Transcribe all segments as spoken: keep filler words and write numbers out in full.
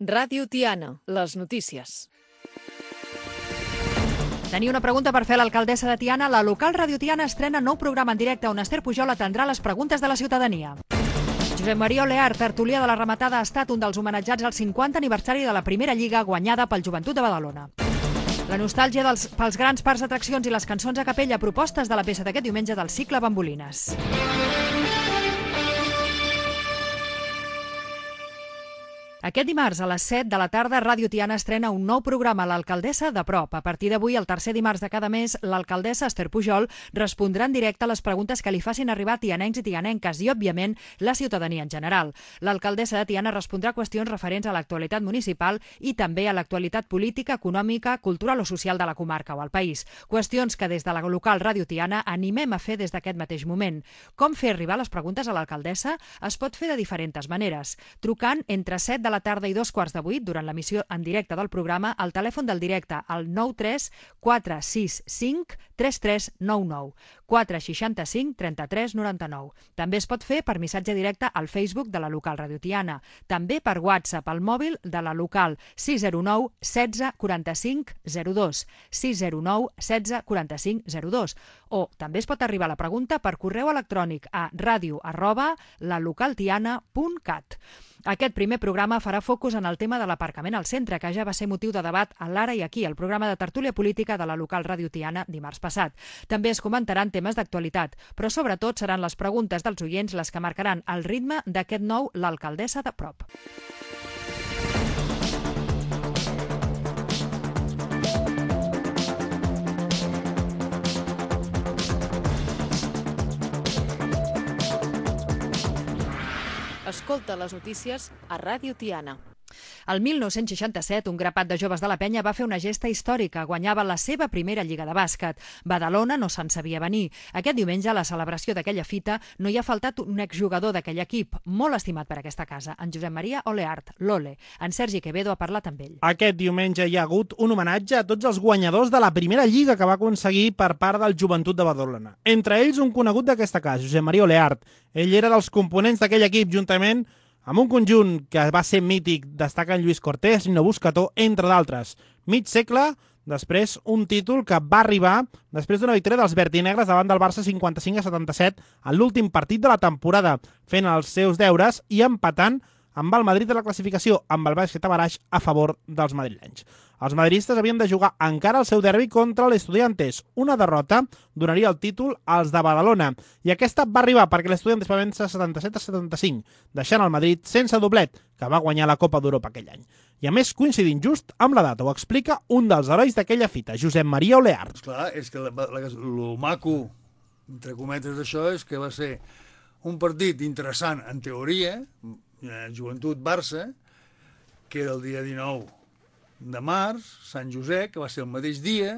Ràdio Tiana, les notícies. Tenia una pregunta per fer a l'alcaldessa de Tiana. La local Ràdio Tiana estrena nou programa en directe on Esther Pujol atendrà les preguntes de la ciutadania. Josep Maria Oleart, tertulià de la Rematada, ha estat un dels homenatjats al cinquanta aniversari de la primera lliga guanyada pel Joventut de Badalona. La nostàlgia dels, pels grans parcs d'atraccions i les cançons a capella, propostes de la peça d'aquest diumenge del cicle Bambolines. Aquest dimarts a les set de la tarda, Ràdio Tiana estrena un nou programa, l'Alcaldessa de Prop. A partir d'avui, el tercer dimarts de cada mes, l'alcaldessa Esther Pujol respondrà en directe a les preguntes que li facin arribar tianencs i tianenques i, òbviament, la ciutadania en general. L'alcaldessa de Tiana respondrà qüestions referents a l'actualitat municipal i també a l'actualitat política, econòmica, cultural o social de la comarca o al país. Qüestions que des de la local Ràdio Tiana animem a fer des d'aquest mateix moment. Com fer arribar les preguntes a l'alcaldessa? Es pot fer de diferents maneres. Trucant entre set de la tarda i dos quarts de vuit, durant l'emissió en directe del programa, al telèfon del directe al nou tres quatre sis cinc tres tres nou nou, quatre sis cinc tres tres nou nou. També es pot fer per missatge directe al Facebook de la local Ràdio Tiana. També per WhatsApp al mòbil de la local sis zero nou setze quaranta-cinc zero dos, sis zero nou setze quaranta-cinc zero dos. O també es pot arribar a la pregunta per correu electrònic a ràdio arroba lalocaltiana punt cat. Aquest primer programa farà focus en el tema de l'aparcament al centre, que ja va ser motiu de debat a l'Ara i aquí, el programa de tertúlia política de la local Ràdio Tiana dimarts passat. També es comentaran temes d'actualitat, però sobretot seran les preguntes dels oients les que marcaran el ritme d'aquest nou l'alcaldessa de Prop. Escolta les notícies a Ràdio Tiana. El mil nou-cents seixanta-set, un grapat de joves de la penya va fer una gesta històrica. Guanyava la seva primera lliga de bàsquet. Badalona no se'n sabia venir. Aquest diumenge, a la celebració d'aquella fita, no hi ha faltat un exjugador d'aquell equip, molt estimat per aquesta casa, en Josep Maria Oleart, l'Ole. En Sergi Quevedo ha parlat amb ell. Aquest diumenge hi ha hagut un homenatge a tots els guanyadors de la primera lliga que va aconseguir per part del Joventut de Badalona. Entre ells, un conegut d'aquesta casa, Josep Maria Oleart. Ell era dels components d'aquell equip, juntament amb un conjunt que va ser mític, destaquen Lluís Cortés, Nino Buscató, entre d'altres. Mig segle, després un títol que va arribar després d'una victòria dels vertinegres davant del Barça cinquanta-cinc a setanta-set en l'últim partit de la temporada, fent els seus deures i empatant amb el Madrid de la classificació, amb el bàsquet a baraix a favor dels madrilenys. Els madridistes havien de jugar encara el seu derbi contra l'Estudiantes. Una derrota donaria el títol als de Badalona. I aquesta va arribar perquè l'Estudiantes va vèncer setanta-set a setanta-cinc, deixant el Madrid sense doblet, que va guanyar la Copa d'Europa aquell any. I a més, coincidint just amb la data, ho explica un dels herois d'aquella fita, Josep Maria Oleart. Esclar, és que el maco, entre cometes d'això, és que va ser un partit interessant, en teoria, Joventut-Barça, que era el dia dinou de març, Sant Josep, que va ser el mateix dia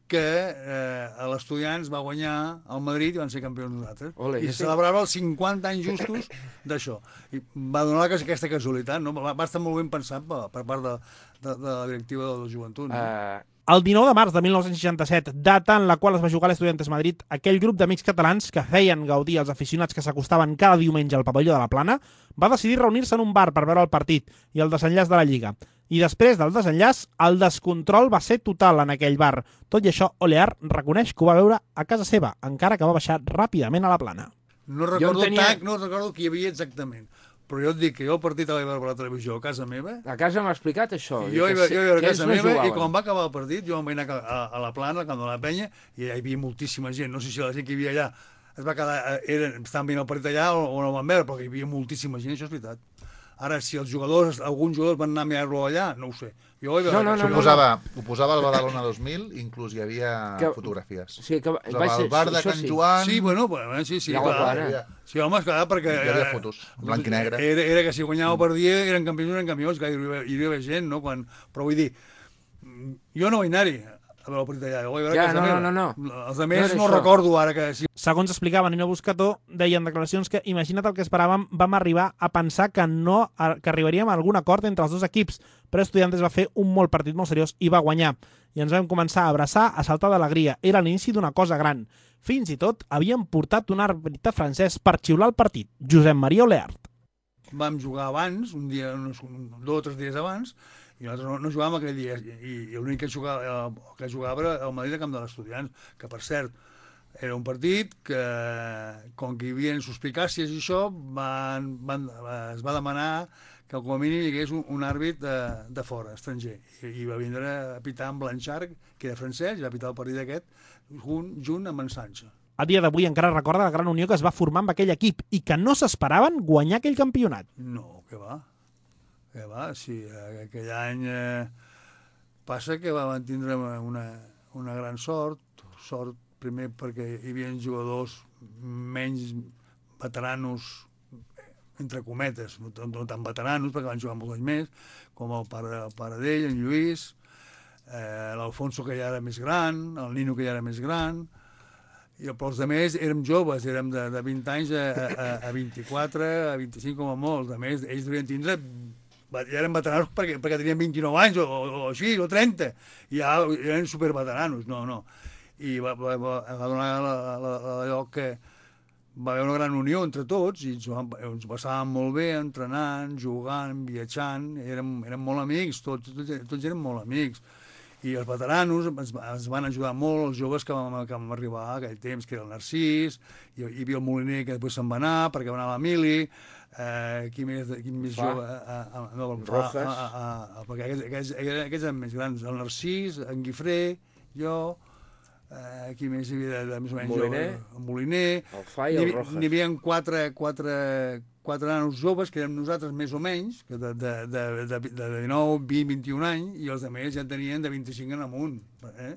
que eh, l'Estudiants va guanyar el Madrid i van ser campions nosaltres. Ole, I celebrava els cinquanta anys justos d'això. I va donar aquesta casualitat, no? Va estar molt ben pensat per, per part de, de, de la directiva de la Joventut. No? Uh... El dinou de març de mil nou-cents seixanta-set, data en la qual es va jugar l'Estudiantes Madrid, aquell grup d'amics catalans que feien gaudir els aficionats que s'acostaven cada diumenge al pavelló de la Plana, va decidir reunir-se en un bar per veure el partit i el desenllaç de la Lliga. I després del desenllaç, el descontrol va ser total en aquell bar. Tot i això, Oleart reconeix que ho va veure a casa seva, encara que va baixar ràpidament a la Plana. No recordo tenia... tant, no recordo qui hi havia exactament. Però jo et dic que jo el partit el vaig veure per la televisió a casa meva. A casa m'ha explicat això. Jo hi vaig veure a casa meva i quan va acabar el partit jo em vaig anar a, a la Plana, al camp de la Penya, i hi havia moltíssima gent. No sé si la gent que hi havia allà es va quedar, eren, estaven veient el partit allà o, o no el van veure, però hi havia moltíssima gent, això és veritat. Ara, si els jugadors, alguns jugadors van anar a mirar-lo allà, no ho sé. Jo ho, no, no, no, ho, posava, no, no. ho posava al Badalona dos mil, inclús hi havia que, fotografies. Sí, que va ser, el bar de Can sí. Joan... Sí, bueno, bueno sí, sí, ja clar. Sí, home, esclar, perquè... Hi havia fotos, en blanc i negre. Era, era que si guanyava per dia, eren campions, eren campions, que hi havia, hi havia gent, no? Quan, però vull dir, jo no vaig anar-hi a veure el partit allà. Ho vaig veure ja, a casa no, meva. no, no, no. Els altres no, no recordo ara que... Sí. Segons explicava Nino Buscató, deien declaracions que, imagina't el que esperàvem, vam arribar a pensar que no que arribaríem a algun acord entre els dos equips, però Estudiantes va fer un molt partit molt seriós i va guanyar. I ens vam començar a abraçar, a saltar d'alegria. Era l'inici d'una cosa gran. Fins i tot havien portat un àrbitre francès per xiular el partit, Josep Maria Oleart. vam jugar abans, un dia, uns, dos o tres dies abans, i nosaltres no, no jugàvem aquell dia, i, i l'únic que jugava, que jugava era el Madrid a Camp de l'Estudiants, que per cert, era un partit que, com que hi havia suspicàcies i això, van, van, es va demanar que com a mínim hi hagués un, un àrbit de, de fora, estranger. I, i va vindre a pitar amb Blanchard, que era francès, i va pitar el partit aquest junt, junt amb en Sancho. A dia d'avui encara recorda la gran unió que es va formar amb aquell equip i que no s'esperaven guanyar aquell campionat. No, què va? Què va? Sí, aquell any eh, passa que van tindre una, una gran sort, sort primer perquè hi havia jugadors menys veteranos, entre cometes, no, no tan veteranos, perquè van jugar molts anys més, com el pare, el pare d'ell, en Lluís, eh, l'Alfonso, que ja era més gran, el Nino, que ja era més gran, i però els altres érem joves, érem de, de vint anys a, a, a vint-i-quatre, a vint-i-cinc com a molt. A més, ells devien tindre, ja eren veteranos perquè, perquè tenien vint-i-nou anys o, o, o així, o trenta, i ja eren superveteranos, no, no. I va, va, va, va donar allò que va haver una gran unió entre tots i ens, ens passàvem molt bé entrenant, jugant, viatjant, érem, érem molt amics, tots, tots, tots érem molt amics. I els veteranos ens, ens van ajudar molt, els joves que vam, que vam arribar a aquell temps, que era el Narcís, hi, hi havia el Moliner, que després se'n va anar, perquè va anar a l'Emili, eh, qui més, qui més jove... Eh, eh, no, Rojas. Eh, eh, eh, perquè aquests, aquests, aquests eren més grans, el Narcís, en Guifré, jo... Eh, aquí més hi havia de, de més o menys Moliner, jove, el Moliner, el Fa i el Rojas. N'hi havia quatre, quatre, quatre nanos joves, que érem nosaltres més o menys, que de, de, de, de, de dinou, vint, vint-i-un anys, i els altres ja tenien de vint-i-cinc en amunt. Eh?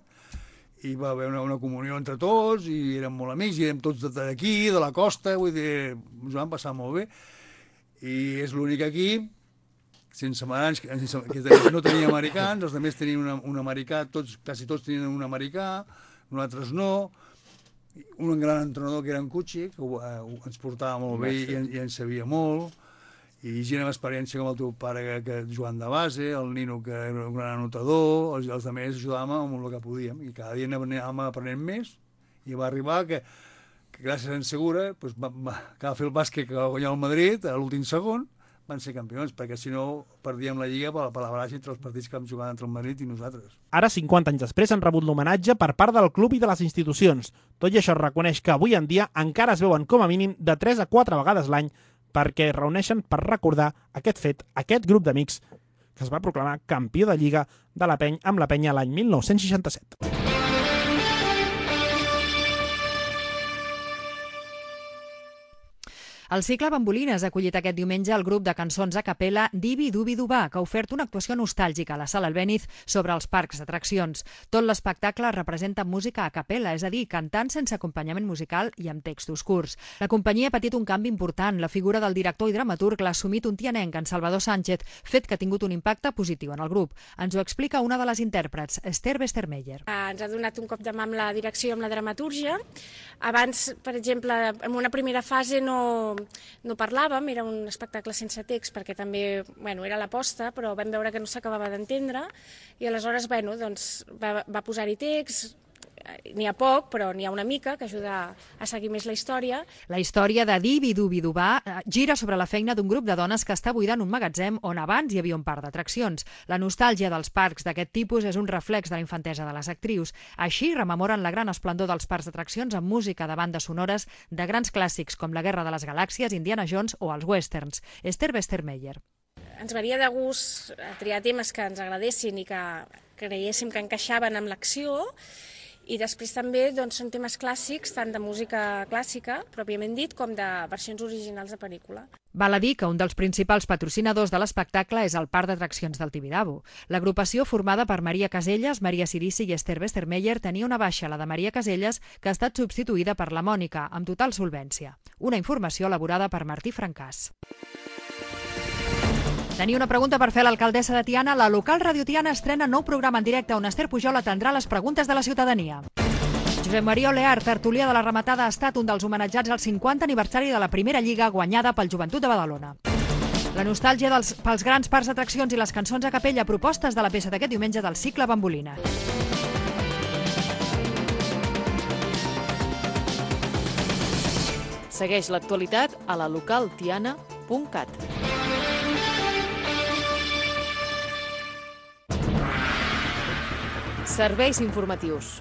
I va haver una, una comunió entre tots, i érem molt amics, i érem tots d'aquí, de la costa, vull dir, ens vam passar molt bé. I és l'únic equip sense americans, que no tenia americans, els altres tenien una, un americà, tots, quasi tots tenien un americà, nosaltres no, un gran entrenador que era en Cucci, que eh, ens portava molt bé i, i ens sabia molt, i gent amb experiència com el teu pare, que, que jugant de base, el Nino, que era un gran anotador, els, els altres ajudàvem amb el que podíem, i cada dia anàvem aprenent més, i va arribar que, que gràcies a en Segura, doncs va, va, que va fer el bàsquet que va guanyar el Madrid a l'últim segon, van ser campions, perquè si no perdíem la Lliga per, per la baraja entre els partits que vam jugar entre el Madrid i nosaltres. Ara, cinquanta anys després, han rebut l'homenatge per part del club i de les institucions. Tot i això es reconeix que avui en dia encara es veuen com a mínim de tres a quatre vegades l'any perquè es reuneixen per recordar aquest fet, aquest grup d'amics que es va proclamar campió de Lliga de la Peny amb la Penya l'any mil nou-cents seixanta-set. El cicle Bambolines ha acollit aquest diumenge el grup de cançons a capella Divi Dubi Dubà, que ha ofert una actuació nostàlgica a la Sala Albéniz sobre els parcs d'atraccions. Tot l'espectacle representa música a capella, és a dir, cantant sense acompanyament musical i amb textos curts. La companyia ha patit un canvi important. La figura del director i dramaturg l'ha assumit un tianenc, en Salvador Sánchez, fet que ha tingut un impacte positiu en el grup. Ens ho explica una de les intèrprets, Esther Westermeyer. Ens ha donat un cop de mà amb la direcció i amb la dramatúrgia. Abans, per exemple, en una primera fase no... no parlàvem, era un espectacle sense text perquè també, bueno, era l'aposta, però vam veure que no s'acabava d'entendre i aleshores, bueno, doncs va, va posar-hi text, n'hi ha poc, però n'hi ha una mica que ajuda a seguir més la història. La història de Divi Dubi Dubà gira sobre la feina d'un grup de dones que està buidant un magatzem on abans hi havia un parc d'atraccions. La nostàlgia dels parcs d'aquest tipus és un reflex de la infantesa de les actrius. Així rememoren la gran esplendor dels parcs d'atraccions amb música de bandes sonores de grans clàssics com La Guerra de les Galàxies, Indiana Jones o els westerns. Esther Westermeyer. Ens varia de gust triar temes que ens agradessin i que creiéssim que encaixaven amb l'acció. I després també doncs, són temes clàssics, tant de música clàssica, pròpiament dit, com de versions originals de pel·lícula. Val a dir que un dels principals patrocinadors de l'espectacle és el Parc d'Atraccions del Tibidabo. L'agrupació, formada per Maria Caselles, Maria Cirici i Esther Westermeyer, tenia una baixa, la de Maria Caselles, que ha estat substituïda per la Mònica, amb total solvència. Una informació elaborada per Martí Francàs. Tenia una pregunta per fer a l'alcaldessa de Tiana. La local Radio Tiana estrena nou programa en directe on Esther Pujol atendrà les preguntes de la ciutadania. Josep Maria Oleart, tertulià de la rematada, ha estat un dels homenatjats al cinquanta aniversari de la primera lliga guanyada pel Joventut de Badalona. La nostàlgia dels, pels grans parcs d'atraccions i les cançons a capella, propostes de la peça d'aquest diumenge del cicle Bambolines. Segueix l'actualitat a la local tiana punt cat. Serveis informatius.